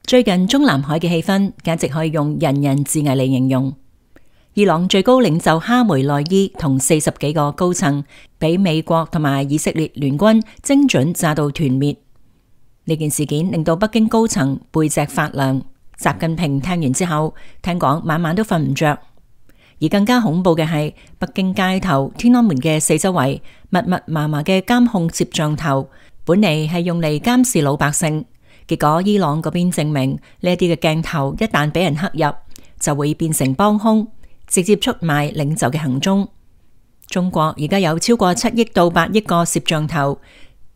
最近中南海嘅氣氛簡直可以用人人自危嚟形容。伊朗最高領袖哈梅內伊同40幾個高層俾美國同埋以色列聯軍精準炸到團滅。呢件事件令到北京高層背脊發涼。習近平聽完之後，聽講晚晚都瞓唔着。而更加恐怖嘅係，北京街頭天安門嘅四周圍密密麻麻嘅監控攝像頭，本嚟係用嚟監視老百姓，結果伊朗嗰邊證明呢一啲嘅鏡頭一旦俾人黑入，就會變成幫兇，直接出賣領袖嘅行蹤。中國而家有超過7億到8億個攝像頭，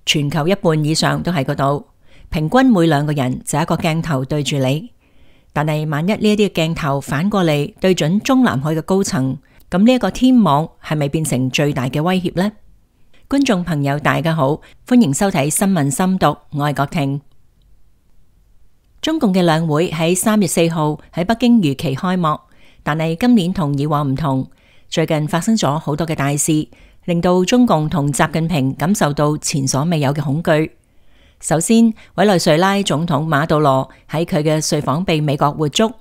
全球一半以上都喺嗰度，平均每2個人就一個鏡頭對住你。但係萬一呢一啲嘅鏡頭反過嚟對準中南海嘅高層，咁呢一個天網係咪變成最大嘅威脅呢？觀眾朋友大家好，歡迎收睇新聞深讀，我係郭婷。中共嘅兩會喺3月4號喺北京如期開幕，但係今年同以往唔同，最近發生咗好多嘅大事，令到中共同習近平感受到前所未有嘅恐懼。首先，委內瑞拉總統馬杜羅喺佢嘅睡房被美國活捉，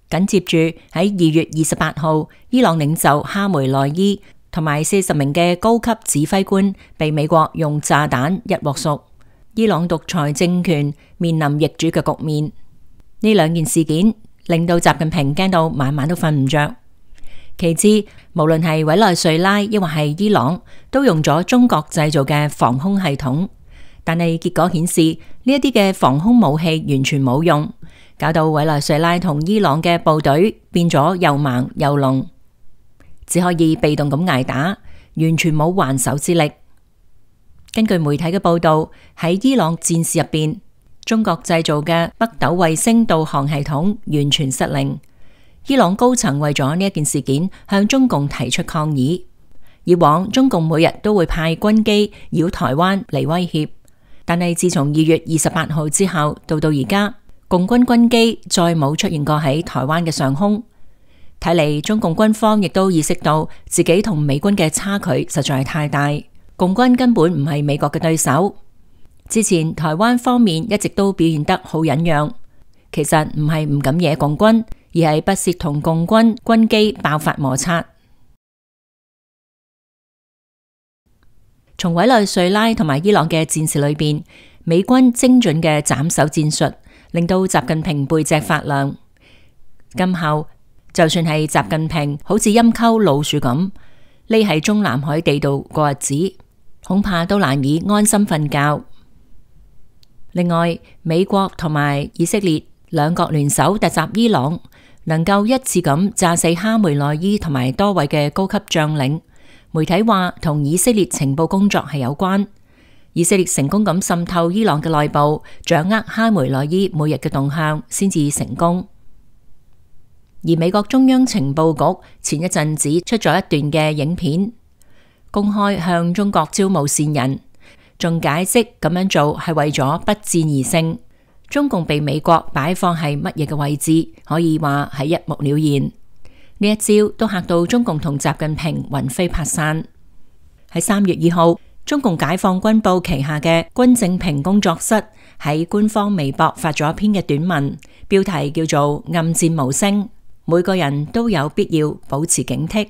緊接住喺2月28號，伊朗領袖哈梅內伊同埋40名嘅高級指揮官被美國用炸彈一鑊熟，伊朗獨裁政權面臨易主嘅局面。呢2件事件令到習近平驚到晚晚都瞓唔着。其次，無論係委內瑞拉抑或係伊朗，都用咗中國製造嘅防空系統。但係結果顯示呢一啲嘅防空武器完全冇用，搞到委內瑞拉同伊朗嘅部隊變咗又盲又聾，只可以被動咁挨打，完全冇還手之力。根據媒體嘅報道，喺伊朗戰事入邊，中國製造嘅北斗衛星導航系統完全失靈。伊朗高層為咗呢一件事件向中共提出抗議。以往中共每日都會派軍機繞台灣嚟威脅。但係自從2月28號之後，到而家，共軍軍機再冇出現過喺台灣嘅上空。睇嚟中共軍方亦都意識到自己同美軍嘅差距實在係太大，共軍根本唔係美國嘅對手。之前台灣方面一直都表現得好忍讓，其實唔係唔敢惹共軍，而係不屑同共軍軍機爆發摩擦。從委內瑞拉同埋伊朗嘅戰事裏邊，美軍精準嘅斬首戰術令到習近平背脊發涼。今後就算係習近平好似陰溝老鼠咁匿喺中南海地道過日子，恐怕都難以安心瞓覺。另外，美國同埋以色列兩國聯手突襲伊朗，能夠一次咁炸死哈梅內伊同埋多位嘅高級將領。媒體話同以色列情報工作係有關，以色列成功咁滲透伊朗嘅內部，掌握哈梅內伊每日嘅動向，先至成功。而美國中央情報局前一陣子出咗一段嘅影片，公開向中國招募線人，仲解釋咁樣做係為咗不戰而勝。中共被美國擺放喺乜嘢嘅位置，可以話係一目了然。呢一招都嚇到中共同習近平魂飛魄散。喺3月2號，中共解放軍部旗下嘅軍政平工作室喺官方微博發咗一篇嘅短文，標題叫做《暗戰無聲》，每個人都有必要保持警惕。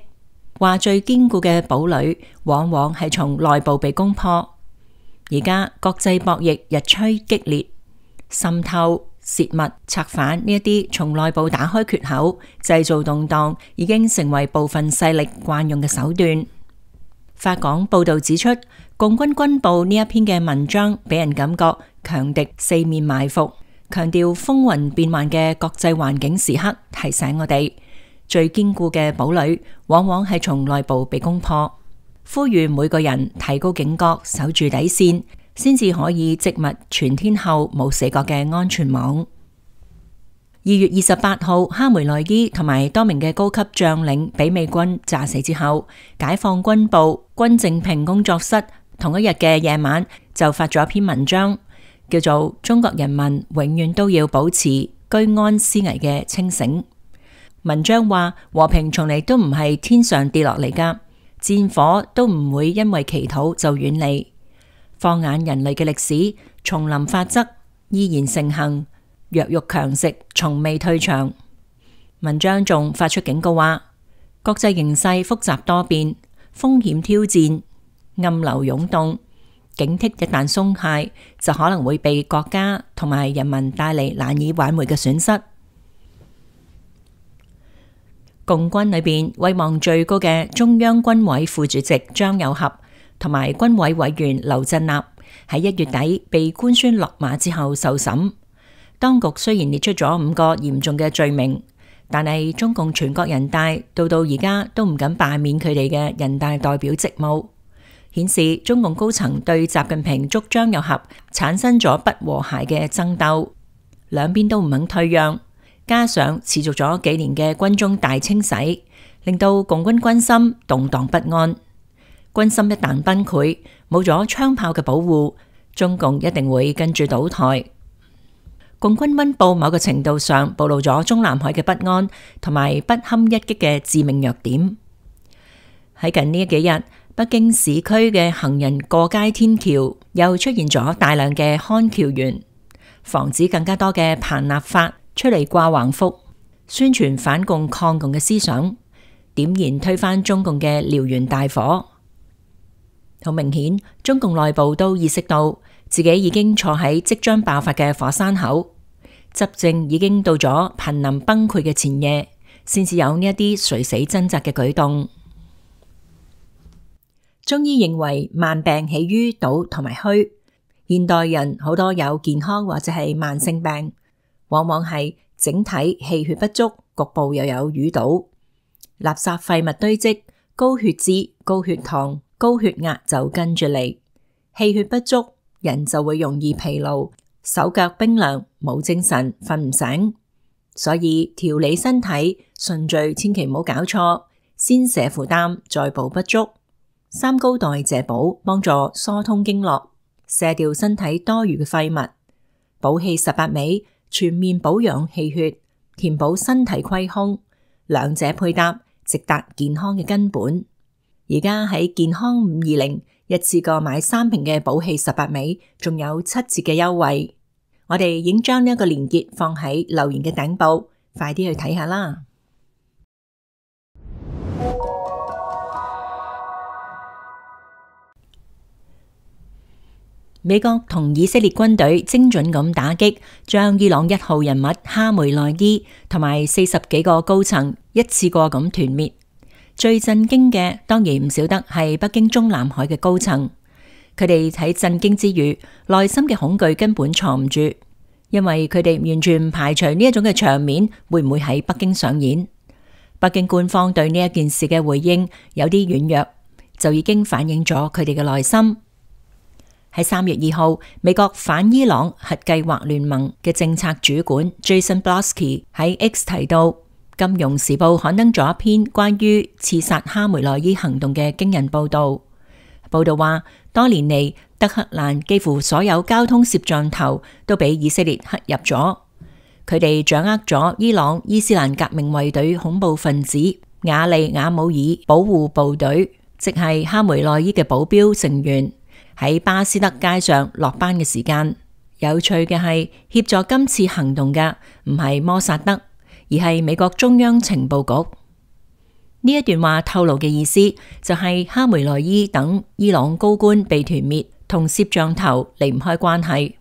話最堅固嘅堡壘往往係從內部被攻破。而家國際博弈日趨激烈，滲透、洩密、策反呢一啲從內部打開缺口，製造動盪，已經成為部分勢力慣用嘅手段。法港報道指出，共軍軍報呢一篇嘅文章俾人感覺強敵四面埋伏，強調風雲變幻嘅國際環境時刻，提醒我哋最堅固嘅堡壘往往係從內部被攻破，呼籲每個人提高警覺，守住底線，先至可以織密全天候冇死角嘅安全網。2月28號，哈梅內伊同埋多名嘅高級將領俾美軍炸死之後，解放軍部軍政平工作室同一日嘅夜晚就發咗一篇文章，叫做《中國人民永遠都要保持居安思危嘅清醒》。文章話，和平從嚟都唔係天上跌落嚟噶，戰火都唔會因為祈禱就遠離。放眼人類嘅歷史，叢林法則依然盛行，弱肉強食，從未退場。文章仲發出警告話，國際形勢複雜多變，風險挑戰，暗流湧動，警惕一旦鬆懈，就可能會被國家同埋人民帶嚟難以挽回嘅損失。共軍裏邊威望最高嘅中央軍委副主席張又俠同埋軍委委員劉振立喺1月底被官宣落馬之後受審。當局雖然列出咗5個嚴重嘅罪名，但係中共全國人大到而家都唔敢罷免佢哋嘅人大代表職務，顯示中共高層對習近平捉張又俠產生咗不和諧嘅爭鬥，兩邊都唔肯退讓。加上持續咗幾年嘅軍中大清洗，令到共軍軍心動盪不安。軍心一旦崩潰，冇咗槍炮嘅保護，中共一定會跟住倒台。共軍溫報某個程度上暴露咗中南海嘅不安同埋不堪一擊嘅致命弱點。喺近呢幾日，北京市區嘅行人過街天橋又出現咗大量嘅看橋員，防止更加多嘅彭立法出嚟掛橫幅，宣傳反共抗共嘅思想，點燃推翻中共嘅燎原大火。好明顯，中共內部都意識到自己已經坐喺即將爆發嘅火山口，執政已經到咗瀕臨崩潰嘅前夜，先至有呢一啲垂死掙扎嘅舉動。中醫認為萬病起於賭同埋虛，現代人好多有健康或者係慢性病，往往係整體氣血不足，局部又有淤堵，垃圾廢物堆積，高血脂、高血糖、高血壓就跟住嚟。氣血不足，人就會容易疲勞，手腳冰涼，冇精神，瞓唔醒。所以調理身體順序千祈唔好搞錯，先瀉負擔，再補不足。三高代謝補幫助疏通經絡，瀉掉身體多餘嘅廢物。補氣18味全面保養氣血，填補身體虧空，兩者配搭，直達健康嘅根本。而家喺健康520一次過買3瓶嘅補氣18味，仲有7折嘅優惠。我哋已經將呢一個連結放喺留言嘅頂部，快啲去睇下啦。美國同以色列軍隊精準咁打擊，將伊朗1號人物哈梅內伊同埋40幾個高層一次過咁團滅。最震驚嘅當然唔少得係北京中南海嘅高層，佢哋喺震驚之餘，內心嘅恐懼根本藏唔住，因為佢哋完全唔排除呢一種嘅場面會唔會喺北京上演。北京官方對呢一件事嘅回應有啲軟弱，就已經反映咗佢哋嘅內心。喺3月2號，美國反伊朗核計劃聯盟嘅政策主管 Jason Brodsky 喺 X 提到，《金融時報》刊登咗一篇關於刺殺哈梅內伊行動嘅驚人報道。報道話，多年嚟，德黑蘭幾乎所有交通攝像頭都俾以色列黑入咗，佢哋掌握咗伊朗伊斯蘭革命衛隊恐怖分子雅利亞姆爾保護部隊，即係哈梅內伊嘅保鏢成員，喺巴斯德街上落班嘅時間。有趣嘅係，協助今次行動嘅唔係摩薩德，而係美國中央情報局。呢一段話透露嘅意思就係哈梅內伊等伊朗高官被團滅，同攝像頭離唔開關係。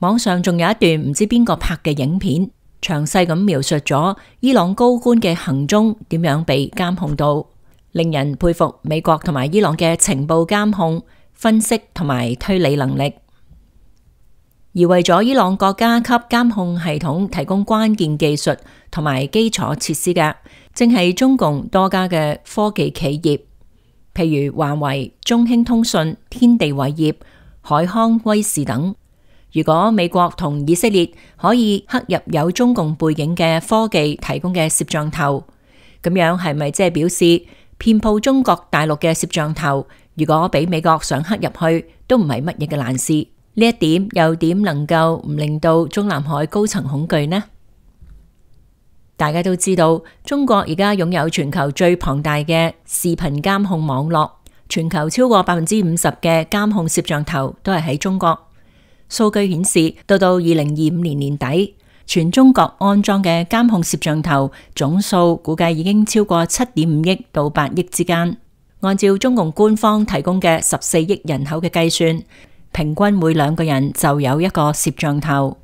網上仲有一段唔知邊個拍嘅影片，詳細咁描述咗伊朗高官嘅行蹤點樣被監控到，令人佩服美國同埋伊朗嘅情報監控、分析同埋推理能力。而為咗伊朗國家級監控系統提供關鍵技術同埋基礎設施嘅，正係中共多家嘅科技企業，譬如華為、中興通訊、天地偉業、海康威視等。如果美國同以色列可以刻入有中共背景嘅科技提供嘅攝像頭，咁樣係咪即係表示遍佈中國大陸嘅攝像頭，如果俾美國想刻入去，都唔係乜嘢嘅難事？呢一點又點能夠唔令到中南海高層恐懼呢？大家都知道，中國而家擁有全球最龐大嘅視頻監控網絡，全球超過50%嘅監控攝像頭都係喺中國。數據顯示，到2025年年底，全中國安裝嘅監控攝像頭總數估計已經超過7.5億到8億之間。按照中共官方提供嘅14億人口嘅計算，平均每2個人就有一個攝像頭。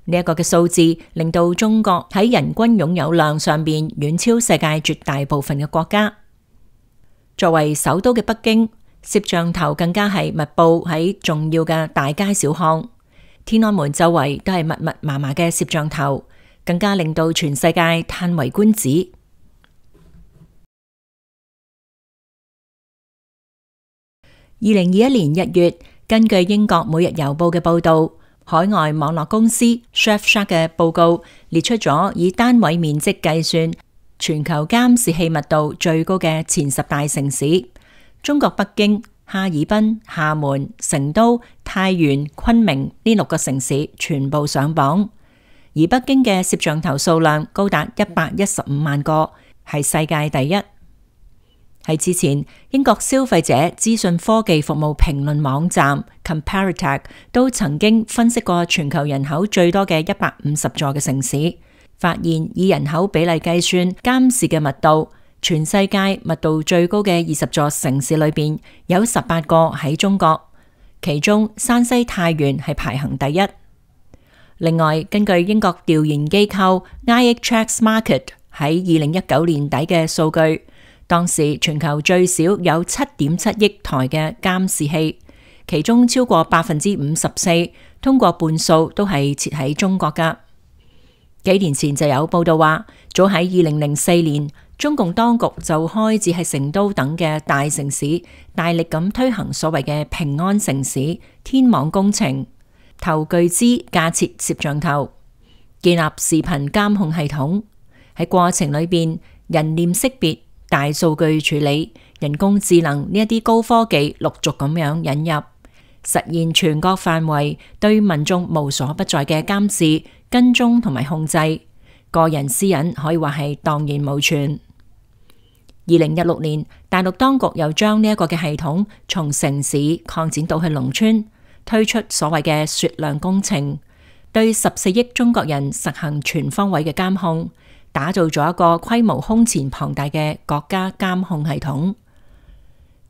呢一個嘅數字令到中國喺人均擁有量上邊遠超世界絕大部分嘅國家。作為首都嘅北京，攝像頭更加係密布喺重要嘅大街小巷，天安門周圍都係密密麻麻嘅攝像頭，更加令到全世界嘆為觀止。2021年1月，根據英國每日郵報嘅報道，海外網絡公司 Surfshark 嘅報告列出咗以單位面積計算全球監視器密度最高嘅前10大城市，中國北京、哈爾濱、廈門、成都、太原、昆明呢6個城市全部上榜，而北京嘅攝像頭數量高達115萬個，係世界第一。喺之前，英國消費者資訊科技服務評論網站 Comparative 都曾經分析過全球人口最多嘅150座嘅城市，發現以人口比例計算監視嘅密度，全世界密度最高嘅20座城市裏邊有18個喺中國，其中山西太原係排行第一。另外，根據英國調研機構 IHX Markit 喺2019年底嘅數據，當時全球最少有7.7億台嘅監視器，其中超過54%，通過半數都係設喺中國噶。幾年前就有報道話，早喺2004年，中共當局就開始喺成都等嘅大城市大力咁推行所謂嘅平安城市天網工程，投巨資架設攝像頭，建立視頻監控系統，喺過程裏邊人臉識別、大數據處理、人工智能呢一啲高科技陸續咁樣引入，實現全國範圍對民眾無所不在嘅監視、跟蹤同埋控制，個人私隱可以話係蕩然無存。2016年，大陸當局又將呢一個嘅系統從城市擴展到去農村，推出所謂嘅雪亮工程，對14億中國人實行全方位嘅監控，打造咗一個規模空前龐大嘅國家監控系統。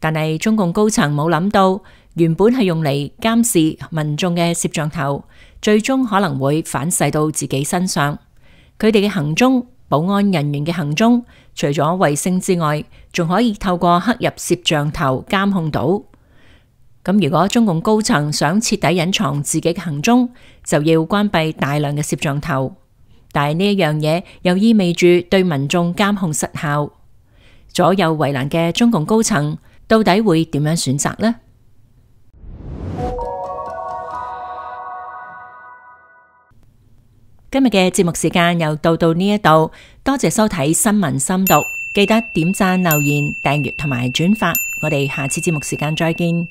但係中共高層冇諗到，原本係用嚟監視民眾嘅攝像頭，最終可能會反噬到自己身上。佢哋嘅行蹤，保安人員嘅行蹤，除咗衛星之外，仲可以透過刻入攝像頭監控到。咁如果中共高層想徹底隱藏自己嘅行蹤，就要關閉大量嘅攝像頭。但係呢一樣嘢又意味住對民眾監控失效，左右為難嘅中共高層到底會點樣選擇呢？今日嘅節目時間又到呢一度，多謝收睇新聞深讀，記得點讚、留言、訂閱同埋轉發，我哋下次節目時間再見。